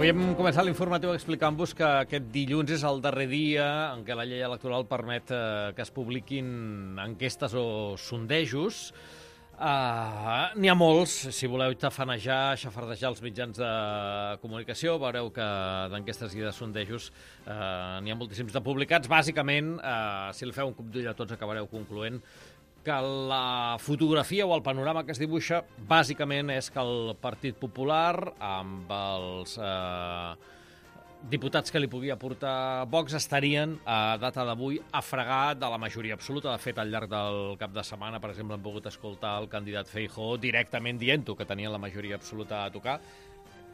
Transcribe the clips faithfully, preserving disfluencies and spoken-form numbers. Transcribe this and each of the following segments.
Avui hem començat l'informatiu explicant-vos que aquest dilluns és el darrer dia en què la llei electoral permet eh, que es publiquin enquestes o sondejos. Uh, N'hi ha molts, si voleu tafanejar, xafardejar els mitjans de comunicació, veureu que d'enquestes i de sondejos uh, n'hi ha moltíssims de publicats. Bàsicament, uh, si li feu un cop d'ull a tots, acabareu concloent que la fotografia o el panorama que es dibuixa bàsicament és que el Partit Popular, amb els eh, diputats que li podia portar Vox, estarien a data d'avui a fregar de la majoria absoluta. De fet, al llarg del cap de setmana, per exemple, hem pogut escoltar el candidat Feijóo directament dient-ho, que tenien la majoria absoluta a tocar.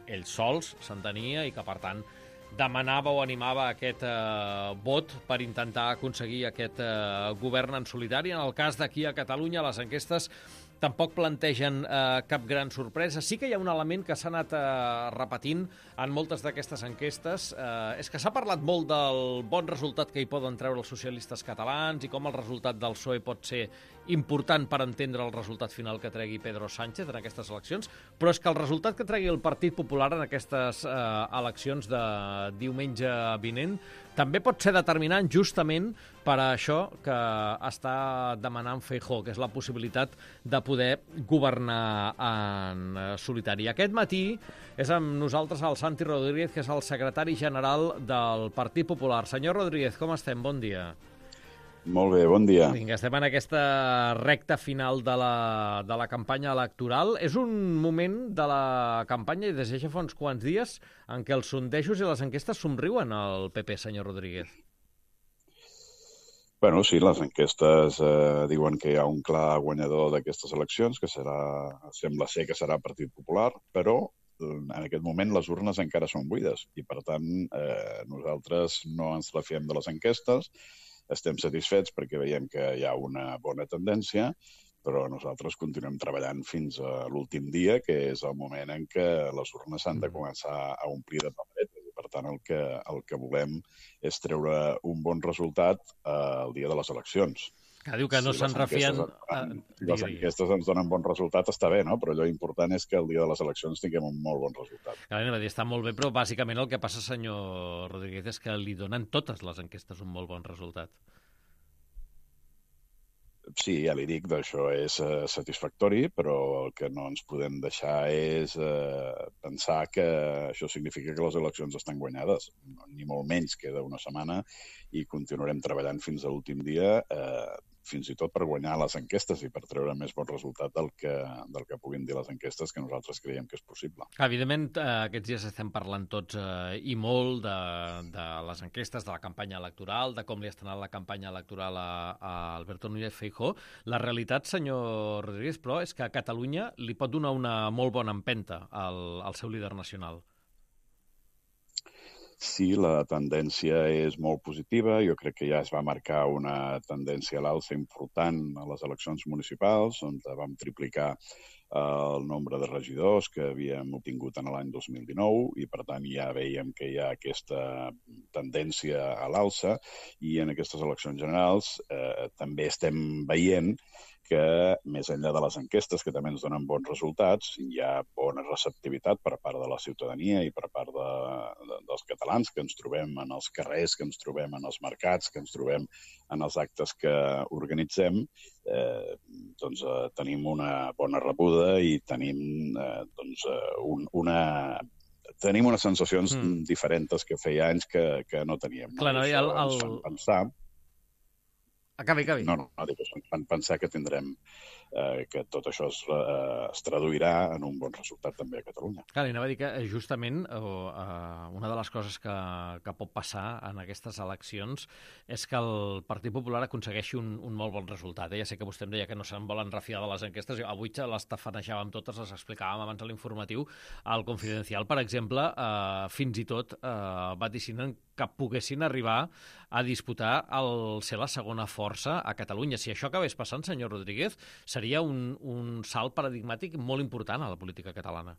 Ells sols s'entenia i que, per tant, demanava o animava aquest eh, vot per intentar aconseguir aquest eh, govern en solitari. En el cas d'aquí a Catalunya, les enquestes tampoc plantegen eh, cap gran sorpresa. Sí que hi ha un element que s'ha anat eh, repetint en moltes d'aquestes enquestes. Eh, és que s'ha parlat molt del bon resultat que hi poden treure els socialistes catalans i com el resultat del P S O E pot ser important per entendre el resultat final que tregui Pedro Sánchez en aquestes eleccions, però és que el resultat que tregui el Partit Popular en aquestes eh, eleccions de diumenge vinent també pot ser determinant justament per a això que està demanant Feijóo, que és la possibilitat de poder governar en solitari. Aquest matí és amb nosaltres el Santi Rodríguez, que és el secretari general del Partit Popular. Senyor Rodríguez, com estem? Bon dia. Molt bé, bon dia. Vinga, estem en aquesta recta final de la, de la campanya electoral. És un moment de la campanya, i des de ja fa uns quants dies, en què els sondejos i les enquestes somriuen al P P, senyor Rodríguez. Bueno, sí, les enquestes eh, diuen que hi ha un clar guanyador d'aquestes eleccions, que serà, sembla ser que serà Partit Popular, però en aquest moment les urnes encara són buides i, per tant, eh, nosaltres no ens refiem de les enquestes. Estem satisfets perquè veiem que hi ha una bona tendència, però nosaltres continuem treballant fins a l'últim dia, que és el moment en què les urnes s'han de començar a omplir de paperetes. I, per tant, el que, el que volem és treure un bon resultat eh, el dia de les eleccions. Que diu que no si se'n refien... Si les enquestes ens donen bon resultat, està bé, no? Però allò important és que el dia de les eleccions tinguem un molt bon resultat. Clar, anem a dir, està molt bé, però bàsicament el que passa, senyor Rodríguez, és que li donen totes les enquestes un molt bon resultat. Sí, ja li dic, d'això és eh, satisfactori, però el que no ens podem deixar és eh, pensar que això significa que les eleccions estan guanyades. Ni molt menys, queda una setmana i continuarem treballant fins a l'últim dia, eh, fins i tot per guanyar les enquestes i per treure més bon resultat del que, del que puguin dir les enquestes, que nosaltres creiem que és possible. Evidentment, eh, aquests dies estem parlant tots eh, i molt de, de les enquestes, de la campanya electoral, de com li ha estat la campanya electoral a, a Alberto Núñez Feijóo. La realitat, senyor Rodríguez, però, és que a Catalunya li pot donar una molt bona empenta al, al seu líder nacional. Sí, la tendència és molt positiva. Jo crec que ja es va marcar una tendència a l'alça important a les eleccions municipals, on vam triplicar el nombre de regidors que havíem obtingut en l'any dos mil dinou i, per tant, ja veiem que hi ha aquesta tendència a l'alça i en aquestes eleccions generals eh, també estem veient que, més enllà de les enquestes, que també ens donen bons resultats, hi ha bona receptivitat per part de la ciutadania i per part de, de, dels catalans, que ens trobem en els carrers, que ens trobem en els mercats, que ens trobem en els actes que organitzem. Eh, doncs eh, tenim una bona rebuda i tenim eh, doncs, eh, un, una... tenim unes sensacions mm. diferents que feia anys que, que no teníem. Clar, no, i el, el... ens fan pensar... Acabi, acabi. No, no, no, dic, ens fan pensar que tindrem eh, que tot això es, eh, es traduirà en un bon resultat també a Catalunya. Clar, i anava a dir que justament eh, una de les coses que, que pot passar en aquestes eleccions és que el Partit Popular aconsegueixi un, un molt bon resultat. Eh? Ja sé que vostè em deia que no se'n volen refiar de les enquestes. Avui les tafanejàvem totes, les explicàvem abans a l'informatiu. Al Confidencial, per exemple, eh, fins i tot eh, vaticinen que poguessin arribar a disputar el ser la segona força a Catalunya. Si això acabés passant, senyor Rodríguez, seria un, un salt paradigmàtic molt important a la política catalana.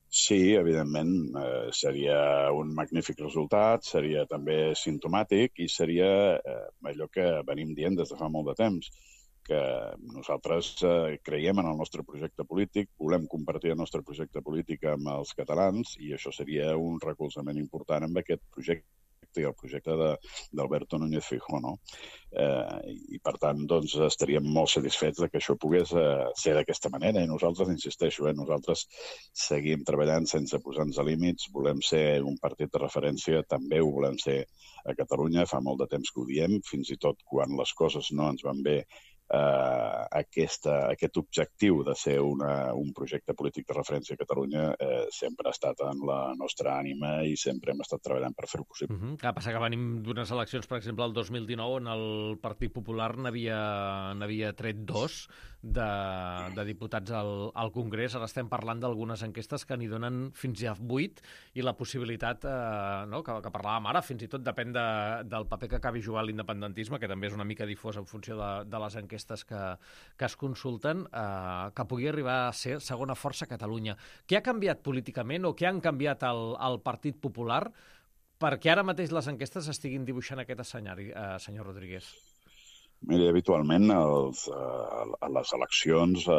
Sí, evidentment, eh, seria un magnífic resultat, seria també simptomàtic i seria eh, allò que venim dient des de fa molt de temps, que nosaltres eh, creiem en el nostre projecte polític, volem compartir el nostre projecte polític amb els catalans i això seria un recolzament important amb aquest projecte i el projecte d'Alberto Núñez Feijóo, no? Eh, I, per tant, doncs, estaríem molt satisfets de que això pogués eh, ser d'aquesta manera. I nosaltres, insisteixo, eh, nosaltres seguim treballant sense posar-nos límits, volem ser un partit de referència, també ho volem ser a Catalunya, fa molt de temps que ho diem, fins i tot quan les coses no ens van bé, Uh, aquesta, aquest objectiu de ser una, un projecte polític de referència a Catalunya eh, sempre ha estat en la nostra ànima i sempre hem estat treballant per fer-ho possible. Uh -huh. Que passa que venim d'unes eleccions, per exemple, el dos mil dinou, on el Partit Popular n'havia tret dos de, de diputats al, al Congrés. Ara estem parlant d'algunes enquestes que n'hi donen fins a vuit i la possibilitat, eh, no, que, que parlàvem ara, fins i tot depèn de, del paper que acabi jugant l'independentisme, que també és una mica difós en funció de, de les enquestes que, que es consulten, eh, que pugui arribar a ser segona força a Catalunya. Què ha canviat políticament o què han canviat al, al Partit Popular perquè ara mateix les enquestes estiguin dibuixant aquest escenari, eh, senyor Rodríguez? Miri, habitualment els, eh, a les eleccions eh,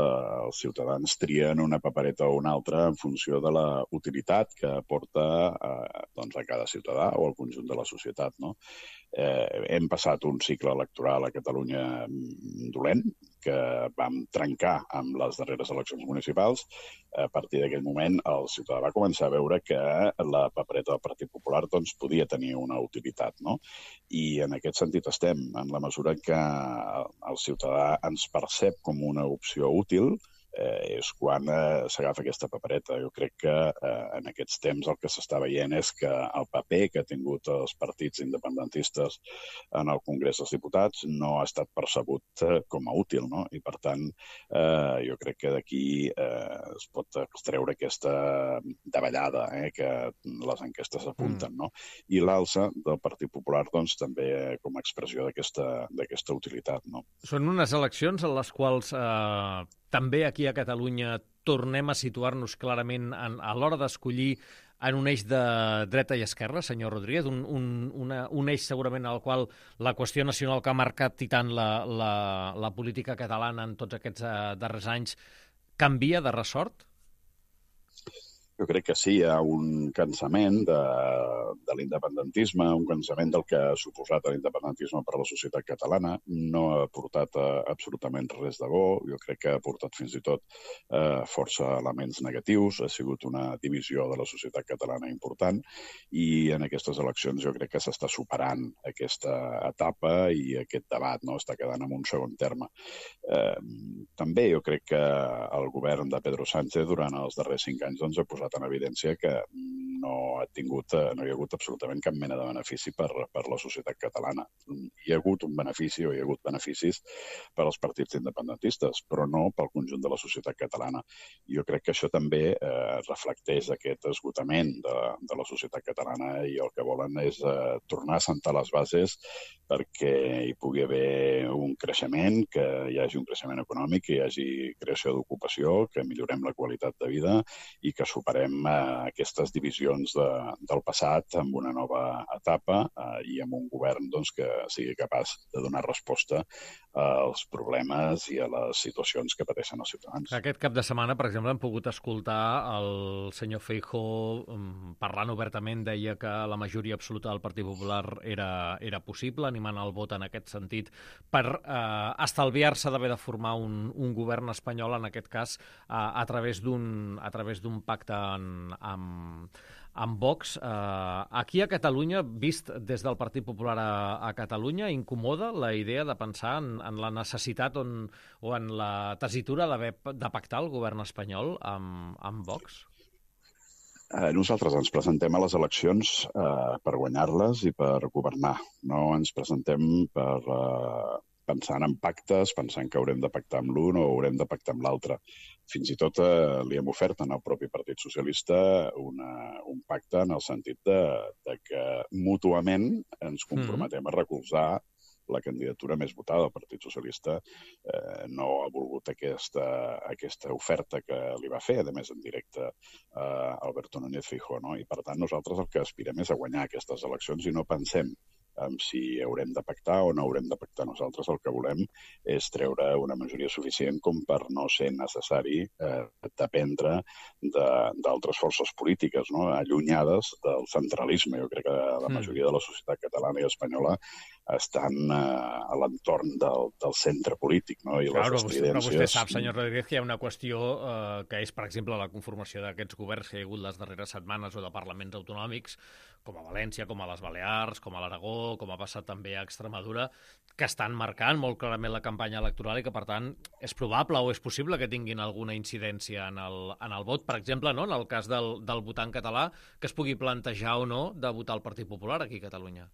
els ciutadans trien una papereta o una altra en funció de la utilitat que aporta eh, doncs a cada ciutadà o al conjunt de la societat, no? Eh, hem passat un cicle electoral a Catalunya dolent, que vam trencar amb les darreres eleccions municipals. A partir d'aquell moment, el ciutadà va començar a veure que la papereta del Partit Popular doncs, podia tenir una utilitat, no? I en aquest sentit estem, en la mesura que el ciutadà ens percep com una opció útil, eh, és quan eh, s'agafa aquesta papereta. Jo crec que eh, en aquests temps el que s'està veient és que el paper que ha tingut els partits independentistes en el Congrés dels Diputats no ha estat percebut eh, com a útil, no? I per tant, eh, jo crec que d'aquí eh, es pot extreure aquesta davallada eh, que les enquestes apunten, no? I l'alça del Partit Popular doncs, també com a expressió d'aquesta d'aquesta utilitat, no? Són unes eleccions en les quals eh, també aquí a Catalunya tornem a situar-nos clarament en, a l'hora d'escollir en un eix de dreta i esquerra, senyor Rodríguez, un, un, una, un eix segurament al qual la qüestió nacional que ha marcat i tant la, la, la política catalana en tots aquests uh, darrers anys canvia de ressort? Jo crec que sí, hi ha un cansament de, de l'independentisme, un cansament del que ha suposat l'independentisme per a la societat catalana. No ha portat eh, absolutament res de bo, jo crec que ha portat fins i tot eh, força elements negatius, ha sigut una divisió de la societat catalana important i en aquestes eleccions jo crec que s'està superant aquesta etapa i aquest debat, no? Està quedant en un segon terme. Eh, també jo crec que el govern de Pedro Sánchez durant els darrers cinc anys doncs, ha posat en evidència que no ha tingut, no hi ha hagut absolutament cap mena de benefici per, per la societat catalana. Hi ha hagut un benefici o hi ha hagut beneficis per als partits independentistes, però no pel conjunt de la societat catalana. Jo crec que això també eh, reflecteix aquest esgotament de, de la societat catalana i el que volen és eh, tornar a sentar les bases perquè hi pugui haver un creixement, que hi hagi un creixement econòmic, que hi hagi creació d'ocupació, que millorem la qualitat de vida i que superem eh, aquestes divisions de, del passat amb una nova etapa eh, i amb un govern doncs, que sigui capaç de donar resposta als problemes i a les situacions que pateixen els ciutadans. Aquest cap de setmana, per exemple, hem pogut escoltar el senyor Feijóo parlant obertament, deia que la majoria absoluta del Partit Popular era, era possible, animant el vot en aquest sentit per eh, estalviar-se d'haver de formar un, un govern espanyol, en aquest cas, eh, a través d'un a través d'un pacte en, amb, amb Vox. Eh, aquí a Catalunya, vist des del Partit Popular a, a Catalunya, incomoda la idea de pensar en, en la necessitat on, o en la tessitura d'haver de pactar el govern espanyol amb, amb Vox? Eh, nosaltres ens presentem a les eleccions eh, per guanyar-les i per governar. No ens presentem per eh, pensant en pactes, pensant que haurem de pactar amb l'un o haurem de pactar amb l'altre. Fins i tot eh, li hem ofert al propi Partit Socialista una, un pacte en el sentit de, de que mútuament ens comprometem a recolzar la candidatura més votada. El Partit Socialista eh, no ha volgut aquesta, aquesta oferta que li va fer, a més en directe, eh, Alberto Núñez Feijóo, no? I per tant nosaltres el que aspirem és a guanyar aquestes eleccions i no pensem amb si haurem de pactar o no haurem de pactar. Nosaltres el que volem és treure una majoria suficient com per no ser necessari eh, dependre d'altres forces polítiques, no? Allunyades del centralisme. Jo crec que la majoria de la societat catalana i espanyola estan eh, a l'entorn del, del centre polític, no? I claro, les estridències... Però vostè sap, senyor Rodríguez, que hi ha una qüestió eh, que és, per exemple, la conformació d'aquests governs que hi ha hagut les darreres setmanes o de parlaments autonòmics, com a València, com a les Balears, com a l'Aragó, com ha passat també a Extremadura, que estan marcant molt clarament la campanya electoral i que, per tant, és probable o és possible que tinguin alguna incidència en el, en el vot, per exemple, no? En el cas del, del votant català, que es pugui plantejar o no de votar el Partit Popular aquí a Catalunya.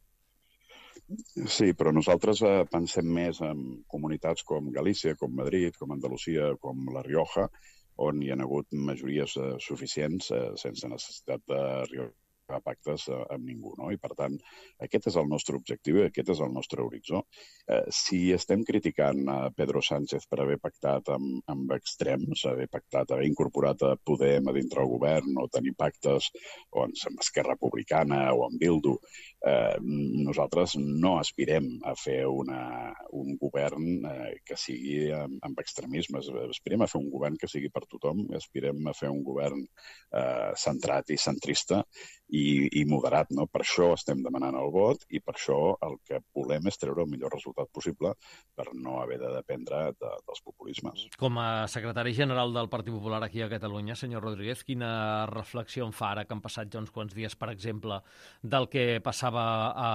Sí, però nosaltres eh, pensem més en comunitats com Galícia, com Madrid, com Andalusia, com La Rioja, on hi ha hagut majories eh, suficients eh, sense necessitat d'arribar a pactes eh, amb ningú, no? I, per tant, aquest és el nostre objectiu i aquest és el nostre horitzó. Eh, si estem criticant a Pedro Sánchez per haver pactat amb, amb extrems, haver pactat, haver incorporat a Podem a dintre el govern o tenir pactes o amb Esquerra Republicana o amb Bildu, eh, nosaltres no aspirem a fer una, un govern eh, que sigui amb, amb extremismes. Aspirem a fer un govern que sigui per tothom, aspirem a fer un govern eh, centrat i centrista i, i moderat, no? Per això estem demanant el vot i per això el que volem és treure el millor resultat possible per no haver de dependre de, dels populismes. Com a secretari general del Partit Popular aquí a Catalunya, senyor Rodríguez, quina reflexió en fa ara que han passat ja uns quants dies, per exemple, del que passava a,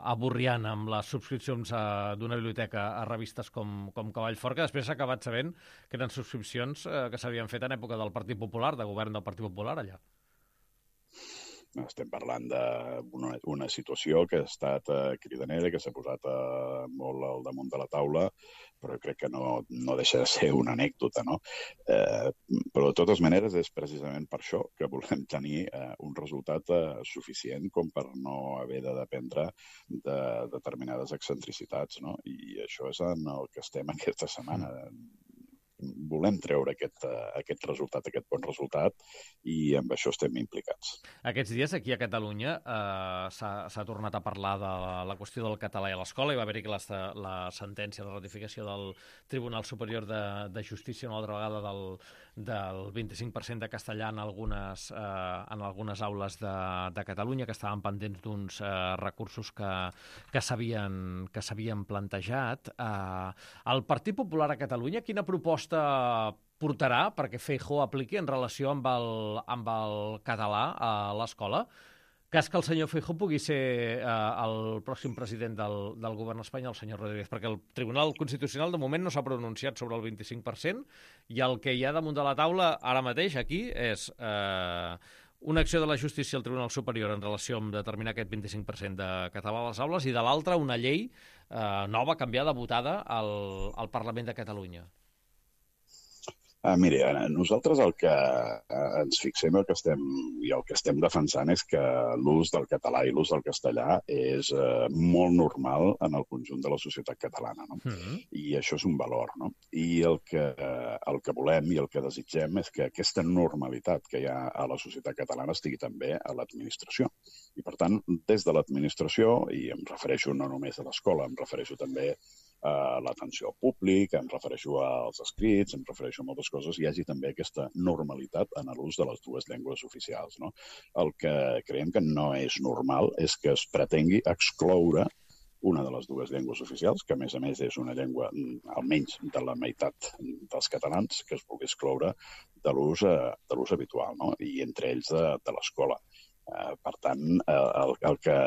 a Borriana amb les subscripcions d'una biblioteca a revistes com, com Cavall Fort, que després s'ha acabat sabent que eren subscripcions eh, que s'havien fet en època del Partit Popular, de govern del Partit Popular allà. Estem parlant d'una una situació que ha estat eh, cridanera, que s'ha posat eh, molt al damunt de la taula, però crec que no, no deixa de ser una anècdota, no? Eh, però, de totes maneres, és precisament per això que volem tenir eh, un resultat eh, suficient com per no haver de dependre de determinades excentricitats, no? I això és en el que estem aquesta setmana. Volem treure aquest, aquest resultat, aquest bon resultat, i amb això estem implicats. Aquests dies, aquí a Catalunya, eh, s'ha tornat a parlar de la, la qüestió del català a l'escola. Hi va haver-hi la, la sentència de ratificació del Tribunal Superior de, de Justícia una altra vegada del, del vint-i-cinc per cent de castellà en algunes, eh, en algunes aules de, de Catalunya, que estaven pendents d'uns eh, recursos que, que s'havien que s'havien plantejat. Eh, el Partit Popular a Catalunya, quina proposta portarà perquè Feijóo apliqui en relació amb el, amb el català a l'escola? Cas que el senyor Feijóo pugui ser eh, el pròxim president del, del govern espanyol, el senyor Rodríguez, perquè el Tribunal Constitucional de moment no s'ha pronunciat sobre el vint-i-cinc per cent i el que hi ha damunt de la taula ara mateix aquí és eh, una acció de la justícia al Tribunal Superior en relació amb determinar aquest vint-i-cinc per cent de català a les aules i de l'altra una llei eh, nova, canviada, votada al, al Parlament de Catalunya. Ah, miri, nosaltres el que ens fixem el que estem, i el que estem defensant és que l'ús del català i l'ús del castellà és eh, molt normal en el conjunt de la societat catalana, no? Mm-hmm. I això és un valor, no? I el que, el que volem i el que desitgem és que aquesta normalitat que hi ha a la societat catalana estigui també a l'administració. I, per tant, des de l'administració, i em refereixo no només a l'escola, em refereixo també a l'atenció al públic, em refereixo als escrits, em refereixo a moltes coses, hi hagi també aquesta normalitat en l'ús de les dues llengües oficials, no? El que creiem que no és normal és que es pretengui excloure una de les dues llengües oficials, que a més a més és una llengua almenys de la meitat dels catalans, que es pugui excloure de l'ús de l'ús habitual, no? I entre ells de, de l'escola. Eh, per tant, el, el que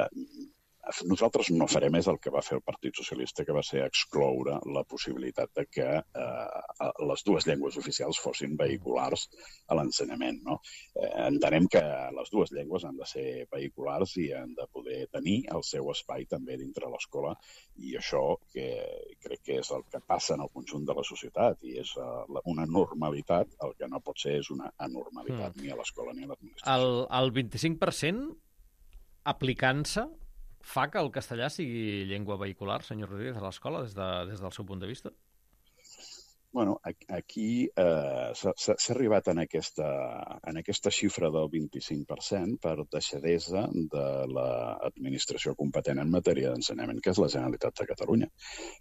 nosaltres no farem és el que va fer el Partit Socialista, que va ser excloure la possibilitat de que eh, les dues llengües oficials fossin vehiculars a l'ensenyament, no? Eh, entenem que les dues llengües han de ser vehiculars i han de poder tenir el seu espai també dintre l'escola, i això que crec que és el que passa en el conjunt de la societat i és uh, una normalitat. El que no pot ser és una anormalitat mm. ni a l'escola ni a l'administració. El, el vint-i-cinc per cent aplicant-se fa que el castellà sigui llengua vehicular, senyor Rodríguez, a l'escola, des, de, des del seu punt de vista? Bueno, aquí eh, s'ha arribat en aquesta, en aquesta xifra del vint-i-cinc per cent per deixadesa de l'administració competent en matèria d'ensenyament, que és la Generalitat de Catalunya.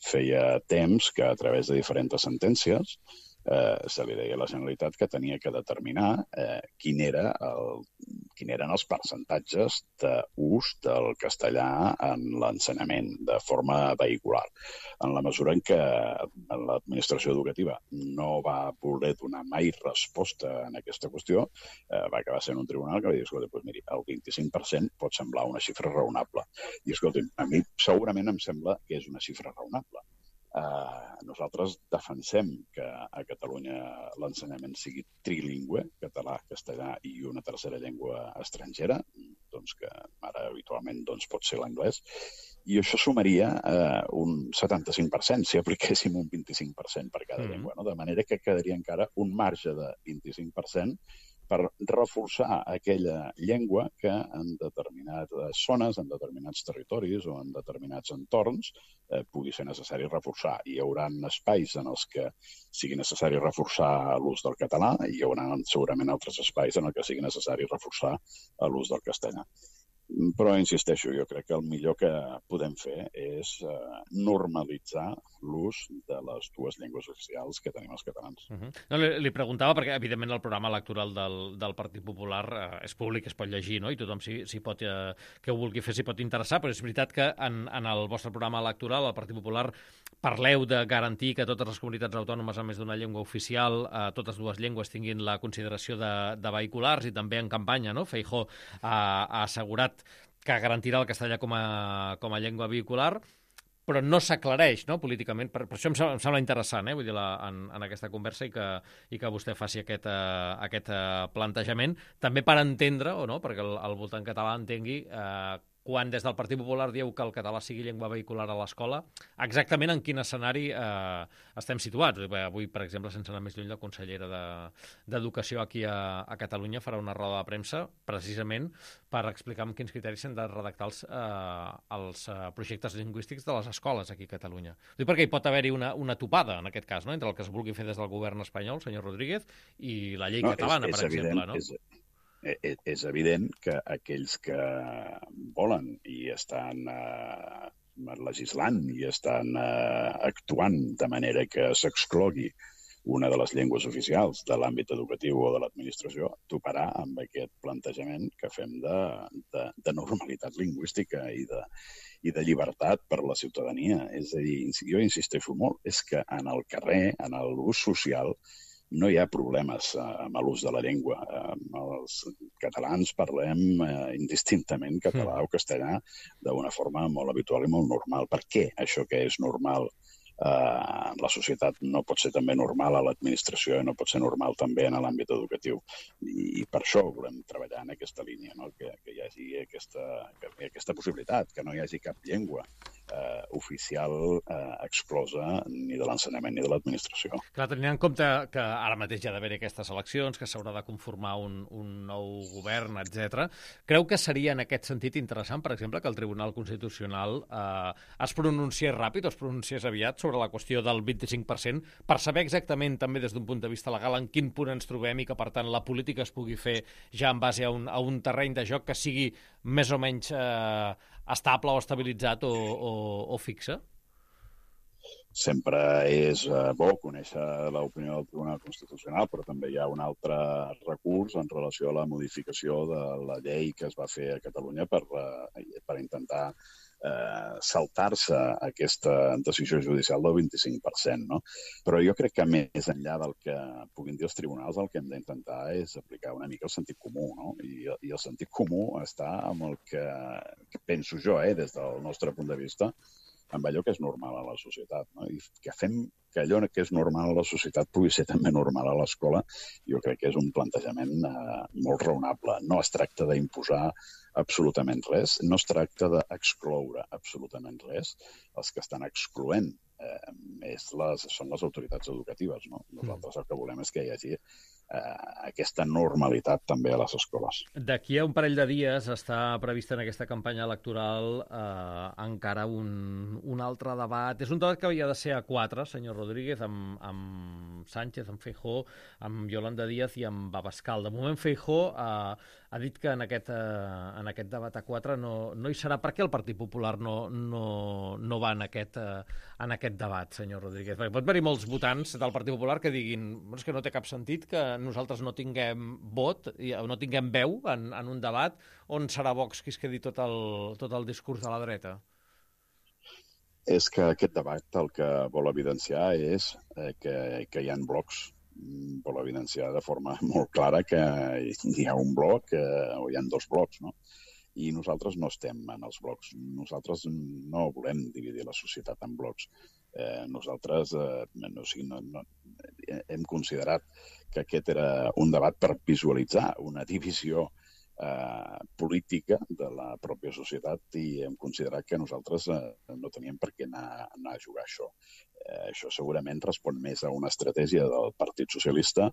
Feia temps que a través de diferents sentències eh, se li deia a la Generalitat que tenia que determinar eh, quin era el, quin eren els percentatges d'ús del castellà en l'ensenyament de forma vehicular. En la mesura en què l'administració educativa no va voler donar mai resposta en aquesta qüestió, eh, va acabar sent un tribunal que va dir, escolta, doncs miri, el vint-i-cinc per cent pot semblar una xifra raonable. I escolta, a mi segurament em sembla que és una xifra raonable. Uh, nosaltres defensem que a Catalunya l'ensenyament sigui trilingüe, català, castellà i una tercera llengua estrangera, doncs que ara habitualment doncs, pot ser l'anglès, i això sumaria uh, un setanta-cinc per cent si apliquéssim un vint-i-cinc per cent per cada mm. llengua, no? De manera que quedaria encara un marge de vint-i-cinc per cent per reforçar aquella llengua que en determinades zones, en determinats territoris o en determinats entorns eh, pugui ser necessari reforçar. Hi haurà espais en els que sigui necessari reforçar l'ús del català i hi haurà segurament altres espais en els que sigui necessari reforçar l'ús del castellà. Però, insisteixo, jo crec que el millor que podem fer és eh, normalitzar l'ús de les dues llengües oficials que tenim els catalans. Uh-huh. No, li, li preguntava perquè, evidentment, el programa electoral del, del Partit Popular eh, és públic, es pot llegir, no? I tothom, si, si pot, eh, que ho vulgui fer, s'hi pot interessar, però és veritat que en, en el vostre programa electoral, el Partit Popular, parleu de garantir que totes les comunitats autònomes amb més d'una llengua oficial, eh, totes dues llengües tinguin la consideració de, de vehiculars, i també en campanya, no? Feijóo ha, ha assegurat que garantirà el castellà com a, com a llengua vehicular, però no s'aclareix, no?, políticament. Per, per això em sembla, em sembla interessant, eh? Vull dir, la, en, en aquesta conversa i que, i que vostè faci aquest, uh, aquest uh, plantejament, també per entendre, o no?, perquè el, el votant català entengui uh, quan des del Partit Popular dieu que el català sigui llengua vehicular a l'escola, exactament en quin escenari eh, estem situats. Avui, per exemple, sense anar més lluny, la consellera d'Educació de, aquí a, a Catalunya farà una roda de premsa precisament per explicar amb quins criteris s'han de redactar els, eh, els eh, projectes lingüístics de les escoles aquí a Catalunya. Dic perquè hi pot haver-hi una, una topada, en aquest cas, no?, entre el que es vulgui fer des del govern espanyol, senyor Rodríguez, i la llei no, catalana, és, és per evident, exemple. No? És... És evident que aquells que volen i estan eh, legislant i estan eh, actuant de manera que s'exclogui una de les llengües oficials de l'àmbit educatiu o de l'administració toparà amb aquest plantejament que fem de, de, de normalitat lingüística i de, i de llibertat per a la ciutadania. És a dir, jo insisteixo molt, és que en el carrer, en l'ús social, no hi ha problemes eh, amb l'ús de la llengua. Eh, els catalans parlem eh, indistintament català mm. o castellà d'una forma molt habitual i molt normal. Per què això que és normal Uh, la societat no pot ser també normal a l'administració i no pot ser normal també en l'àmbit educatiu. I, i per això volem treballar en aquesta línia, no? que, que hi hagi aquesta, que hi hagi aquesta possibilitat, que no hi hagi cap llengua uh, oficial uh, exclosa ni de l'ensenyament ni de l'administració. Clar, tenint en compte que ara mateix hi ha d'haver aquestes eleccions, que s'haurà de conformar un, un nou govern, etcètera, creu que seria en aquest sentit interessant, per exemple, que el Tribunal Constitucional eh, es pronunciés ràpid o es pronunciés aviat sobre sobre la qüestió del vint-i-cinc per cent, per saber exactament també des d'un punt de vista legal en quin punt ens trobem i que, per tant, la política es pugui fer ja en base a un, a un terreny de joc que sigui més o menys eh, estable o estabilitzat o, o, o fixe? Sempre és eh, bo conèixer l'opinió del Tribunal Constitucional, però també hi ha un altre recurs en relació a la modificació de la llei que es va fer a Catalunya per, eh, per intentar eh, saltar-se aquesta decisió judicial del vint-i-cinc per cent. No? Però jo crec que més enllà del que puguin dir els tribunals, el que hem d'intentar és aplicar una mica el sentit comú. No? I, I el sentit comú està amb el que, que penso jo, eh, des del nostre punt de vista, amb allò que és normal a la societat. No? I que fem que allò que és normal a la societat pugui ser també normal a l'escola, jo crec que és un plantejament eh, molt raonable. No es tracta d'imposar absolutament res, no es tracta d'excloure absolutament res. Els que estan excloent eh, és les, són les autoritats educatives. No? Nosaltres el que volem és que hi hagi eh, aquesta normalitat també a les escoles. D'aquí a un parell de dies està prevista en aquesta campanya electoral eh, encara un, un altre debat. És un debat que havia de ser a quatre, senyor Rodríguez, amb, amb Sánchez, amb Feijóo, amb Yolanda Díaz i amb Abascal. De moment, Feijóo eh, ha dit que en aquest, eh, en aquest debat a quatre no, no hi serà. Per què el Partit Popular no, no, no va en aquest, eh, en aquest debat, senyor Rodríguez? Perquè pot haver-hi molts votants del Partit Popular que diguin és que no té cap sentit que nosaltres no tinguem vot, no tinguem veu en, en un debat on serà Vox qui es quedi tot el, tot el discurs de la dreta. És que aquest debat el que vol evidenciar és eh, que, que hi ha blocs, vol evidenciar de forma molt clara que hi ha un bloc eh, o hi ha dos blocs, no? I nosaltres no estem en els blocs. Nosaltres no volem dividir la societat en blocs. Eh, nosaltres eh, no, no, no, hem considerat que aquest era un debat per visualitzar una divisió eh, política de la pròpia societat i hem considerat que nosaltres eh, no teníem per què anar, anar a jugar això. Eh, això segurament respon més a una estratègia del Partit Socialista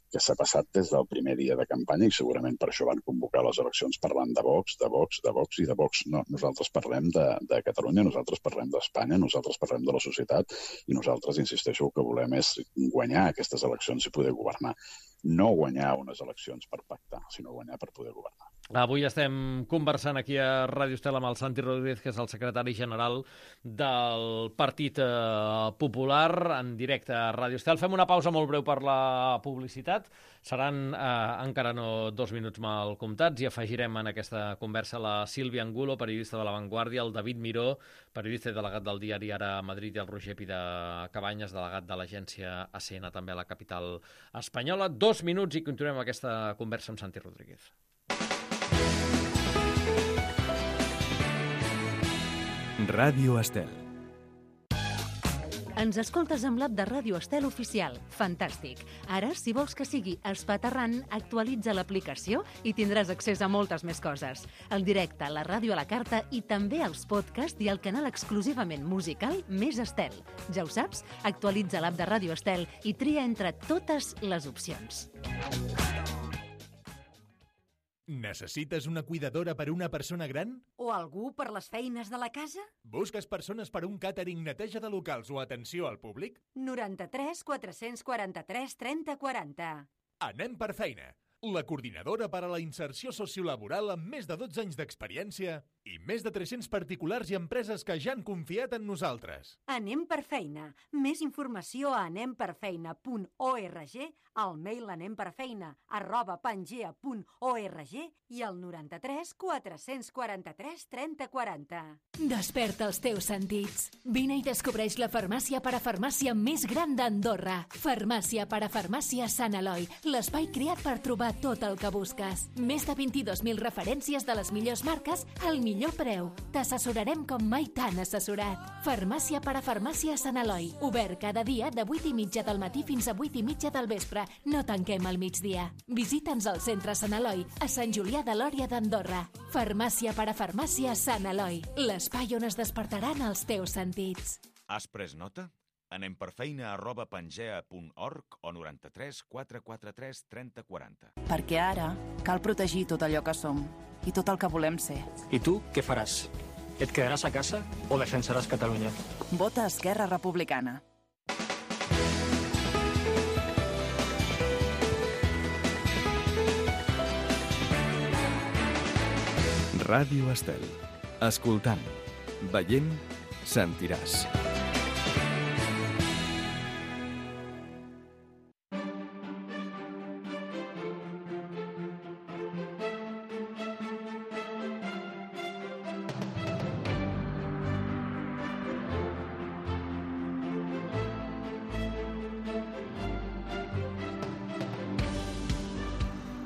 que s'ha passat des del primer dia de campanya i segurament per això van convocar les eleccions parlant de Vox, de Vox, de Vox i de Vox. No, nosaltres parlem de, de Catalunya, nosaltres parlem d'Espanya, nosaltres parlem de la societat i nosaltres, insisteixo, el que volem és guanyar aquestes eleccions i poder governar. No guanyar unes eleccions per pactar, sinó guanyar per poder governar. Avui estem conversant aquí a Ràdio Estel amb el Santi Rodríguez, que és el secretari general del Partit Popular, en directe a Ràdio Estel. Fem una pausa molt breu per la publicitat. Seran eh, encara no dos minuts mal comptats i afegirem en aquesta conversa la Sílvia Angulo, periodista de La Vanguardia, el David Miró, periodista i delegat del diari Ara a Madrid, i el Roger Pida Cabanyes, delegat de l'agència A C N, també a la capital espanyola. Dos minuts i continuem aquesta conversa amb Santi Rodríguez. Ràdio Estel. Ens escoltes amb l'app de Ràdio Estel oficial. Fantàstic. Ara, si vols que sigui espaterrant, actualitza l'aplicació i tindràs accés a moltes més coses. El directe, la ràdio a la carta i també els podcasts i el canal exclusivament musical Més Estel. Ja ho saps? Actualitza l'app de Ràdio Estel i tria entre totes les opcions. Necessites una cuidadora per a una persona gran? O algú per les feines de la casa? Busques persones per a un càtering, neteja de locals o atenció al públic? noranta-tres quatre-cents quaranta-tres trenta quaranta. Anem per feina. La coordinadora per a la inserció sociolaboral amb més de dotze anys d'experiència i més de tres-cents particulars i empreses que ja han confiat en nosaltres. Anem per feina. Més informació a anem per feina punt org, al mail anemperfeina arroba pangea punt org i al noranta-tres quatre-cents quaranta-tres trenta quaranta. Desperta els teus sentits. Vine i descobreix la farmàcia parafarmàcia més gran d'Andorra. Farmàcia parafarmàcia Sant Eloi, l'espai creat per trobar tot el que busques. Més de vint-i-dos mil referències de les millors marques al millor preu. T'assessorarem com mai t'han assessorat. Farmàcia parafarmàcia Sant Eloi. Obert cada dia de vuit i mitja del matí fins a vuit i mitja del vespre. No tanquem al migdia. Visita'ns al centre Sant Eloi, a Sant Julià de Lòria d'Andorra. Farmàcia parafarmàcia Sant Eloi. L'espai on es despertaran els teus sentits. Has pres nota? Anem per feina arroba pangea punt org o noranta-tres quatre quaranta-tres trenta quaranta. Perquè ara cal protegir tot allò que som i tot el que volem ser. I tu què faràs? Et quedaràs a casa o defensaràs Catalunya? Vota Esquerra Republicana. Ràdio Estel. Escoltant, veient, sentiràs.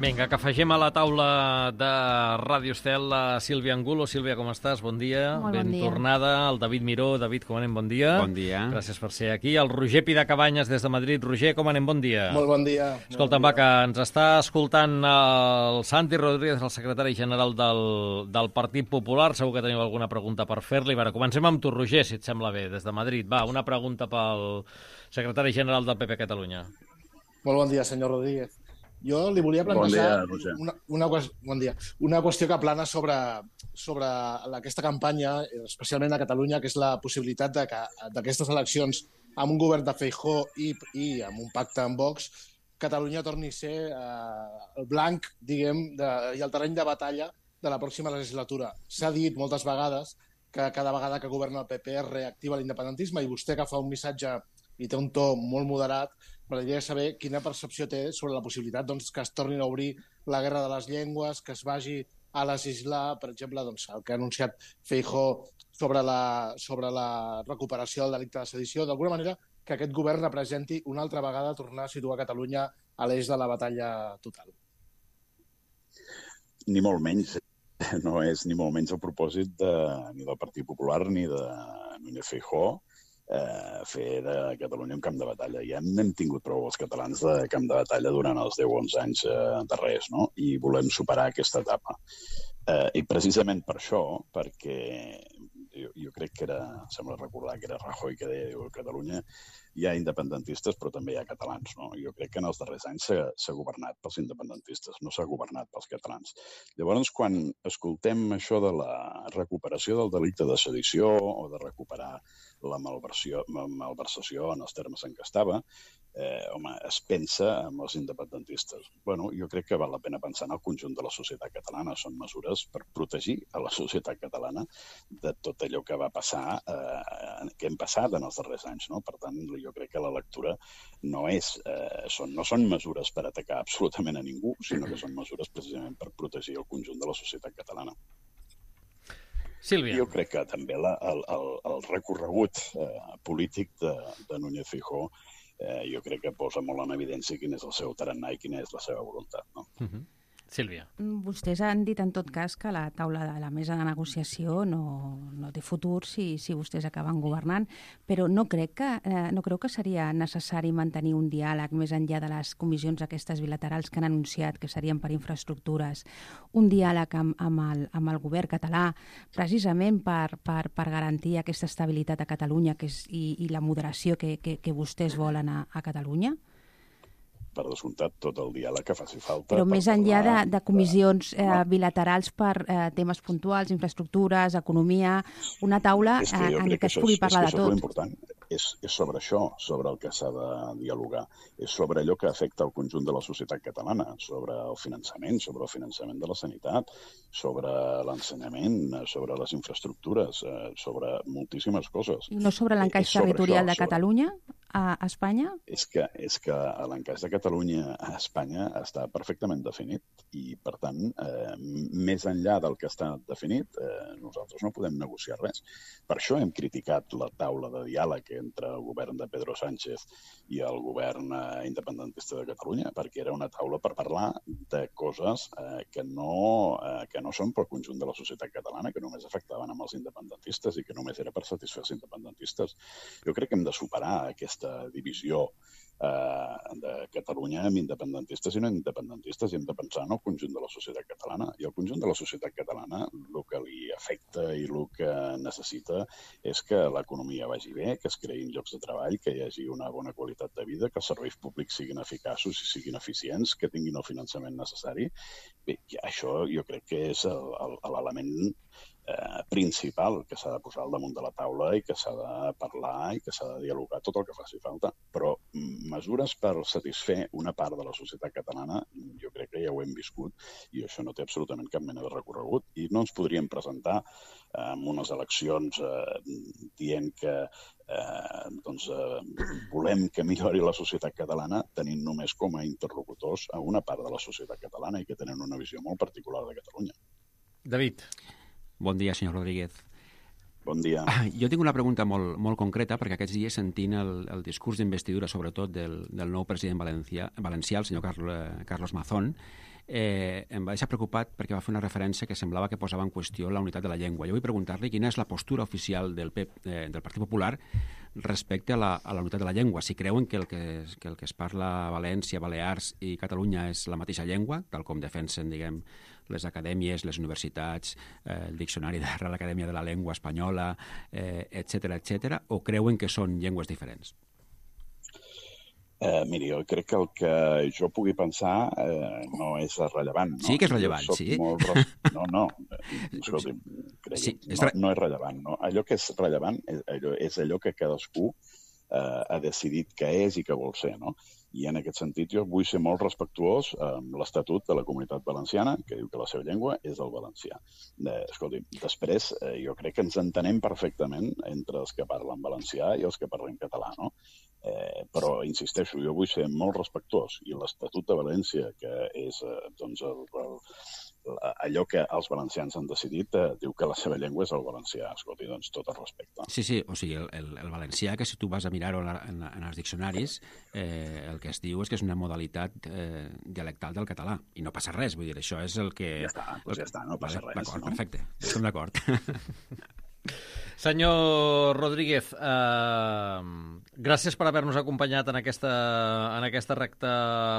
Vinga, que afegim a la taula de Ràdio Estel la Sílvia Angulo. Sílvia, com estàs? Bon dia. Molt bon ben dia. tornada. El David Miró. David, com anem? Bon dia. Bon dia. Gràcies per ser aquí. El Roger Pida Cabanyes des de Madrid. Roger, com anem? Bon dia. Molt bon dia. Escolta'm, va, que ens està escoltant el Santi Rodríguez, el secretari general del, del Partit Popular. Segur que teniu alguna pregunta per fer-li. Va, comencem amb tu, Roger, si et sembla bé, des de Madrid. Va, una pregunta pel secretari general del P P Catalunya. Molt bon dia, senyor Rodríguez. Jo li volia plantejar bon dia, una, una, bon dia, una qüestió que plana sobre, sobre aquesta campanya, especialment a Catalunya, que és la possibilitat de que d'aquestes eleccions amb un govern de Feijóo i, i amb un pacte amb Vox, Catalunya torni a ser eh, el blanc, diguem, de, i el terreny de batalla de la pròxima legislatura. S'ha dit moltes vegades que cada vegada que governa el P P es reactiva l'independentisme i vostè que fa un missatge i té un to molt moderat, m'agradaria saber quina percepció té sobre la possibilitat doncs, que es tornin a obrir la guerra de les llengües, que es vagi a legislar, per exemple, doncs, el que ha anunciat Feijóo sobre la, sobre la recuperació del delicte de sedició, d'alguna manera que aquest govern representi una altra vegada tornar a situar Catalunya a l'eix de la batalla total. Ni molt menys. No és ni molt menys el propòsit de, ni del Partit Popular ni de Núñez Feijóo eh, fer de Catalunya un camp de batalla. Ja hem tingut prou els catalans de camp de batalla durant els deu o onze anys eh, darrers, no? I volem superar aquesta etapa. Eh, I precisament per això, perquè jo, jo crec que era, sembla recordar que era Rajoy que deia que a Catalunya hi ha independentistes però també hi ha catalans, no? Jo crec que en els darrers anys s'ha governat pels independentistes, no s'ha governat pels catalans. Llavors, quan escoltem això de la recuperació del delicte de sedició o de recuperar la malversió, malversació en els termes en què estava, eh, home, es pensa en els independentistes. Bueno, jo crec que val la pena pensar en el conjunt de la societat catalana. Són mesures per protegir a la societat catalana de tot allò que va passar, eh, que hem passat en els darrers anys, no? Per tant, jo crec que la lectura no és, eh, són, no són mesures per atacar absolutament a ningú, sinó que són mesures precisament per protegir el conjunt de la societat catalana. Sílvia. Jo crec que també la, el, el, el recorregut eh, polític de, de Núñez Feijóo eh, jo crec que posa molt en evidència quin és el seu tarannà i quina és la seva voluntat, no? Uh-huh. Sílvia. Vostès han dit en tot cas que la taula de la mesa de negociació no, no té futur si, si vostès acaben governant, però no crec que, eh, no creu que seria necessari mantenir un diàleg més enllà de les comissions aquestes bilaterals que han anunciat que serien per infraestructures, un diàleg amb, amb, el, amb el govern català precisament per, per, per garantir aquesta estabilitat a Catalunya que és, i, i la moderació que, que, que vostès volen a, a Catalunya? Per descomptat, tot el diàleg que faci falta. Però més enllà de, de comissions eh, bilaterals per eh, temes puntuals, infraestructures, economia, una taula eh, en què es pugui parlar de tot. És important. És, és sobre això, sobre el que s'ha de dialogar. És sobre allò que afecta el conjunt de la societat catalana, sobre el finançament, sobre el finançament de la sanitat, sobre l'ensenyament, sobre les infraestructures, eh, sobre moltíssimes coses. I no sobre l'encaix territorial això, de Catalunya a Espanya? És que, és que l'encaix de Catalunya a Espanya està perfectament definit i, per tant, eh, més enllà del que està definit, eh, nosaltres no podem negociar res. Per això hem criticat la taula de diàleg entre el govern de Pedro Sánchez i el govern eh, independentista de Catalunya, perquè era una taula per parlar de coses eh, que, no, eh, que no són pel conjunt de la societat catalana, que només afectaven amb els independentistes i que només era per satisfer els independentistes. Jo crec que hem de superar aquesta divisió eh, de Catalunya amb independentistes i no independentistes i hem de pensar en el conjunt de la societat catalana. I el conjunt de la societat catalana el que li afecta i el que necessita és que l'economia vagi bé, que es creïn llocs de treball, que hi hagi una bona qualitat de vida, que els serveis públics siguin eficaços i siguin eficients, que tinguin el finançament necessari. Bé, això jo crec que és l'element Eh, principal que s'ha de posar al damunt de la taula i que s'ha de parlar i que s'ha de dialogar tot el que faci falta. Però mesures per satisfer una part de la societat catalana jo crec que ja ho hem viscut i això no té absolutament cap mena de recorregut i no ens podríem presentar eh, en unes eleccions eh, dient que eh, doncs, eh, volem que millori la societat catalana tenint només com a interlocutors a una part de la societat catalana i que tenen una visió molt particular de Catalunya. David. Bon dia, senyor Rodríguez. Bon dia. Jo tinc una pregunta molt, molt concreta, perquè aquests dies sentint el, el discurs d'investidura, sobretot del, del nou president valencià, valencià el senyor Carlos, Carlos Mazón, eh, em va deixar preocupat perquè va fer una referència que semblava que posava en qüestió la unitat de la llengua. Jo vull preguntar-li quina és la postura oficial del, P E P, eh, del Partit Popular respecte a la, a la unitat de la llengua. Si creuen que el que, que el que es parla a València, Balears i Catalunya és la mateixa llengua, tal com defensen, diguem, les acadèmies, les universitats, eh, el diccionari de la Real Acadèmia de la Llengua Espanyola, eh, etcètera, etcètera, o creuen que són llengües diferents? Eh, miri, jo crec que el que jo pugui pensar eh, no és rellevant. No? Sí que és rellevant, sí. Molt... No, no, escolti, crec sí, que no, no és rellevant. No? Allò que és rellevant és allò, és allò que cadascú eh, ha decidit que és i que vol ser, no? I en aquest sentit jo vull ser molt respectuós amb l'Estatut de la Comunitat Valenciana, que diu que la seva llengua és el valencià. Eh, escolti, després eh, jo crec que ens entenem perfectament entre els que parlen valencià i els que parlen català, no? Eh, però, insisteixo, jo vull ser molt respectuós i l'Estatut de València, que és eh, doncs, el, el, allò que els valencians han decidit, eh, diu que la seva llengua és el valencià. Escolti, doncs tot el respecte. Sí, sí, o sigui, el, el, el valencià, que si tu vas a mirar-ho en, en, en els diccionaris, eh, el que es diu és que és una modalitat eh, dialectal del català, i no passa res, vull dir, això és el que... Ja està, doncs ja està, no passa vale, res. D'acord, no? perfecte, estem d'acord. Senyor Rodríguez, eh, gràcies per haver-nos acompanyat en aquesta, en aquesta recta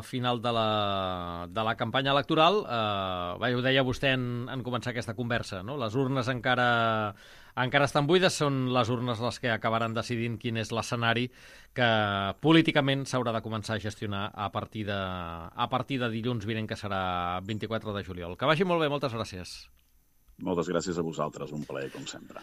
final de la, de la campanya electoral. Eh, bé, ho deia vostè en, en començar aquesta conversa, no? Les urnes encara, encara estan buides, són les urnes les que acabaran decidint quin és l'escenari que políticament s'haurà de començar a gestionar a partir de, a partir de dilluns vinent, que serà vint-i-quatre de juliol. Que vagi molt bé, moltes gràcies. Moltes gràcies a vosaltres, un plaer, com sempre.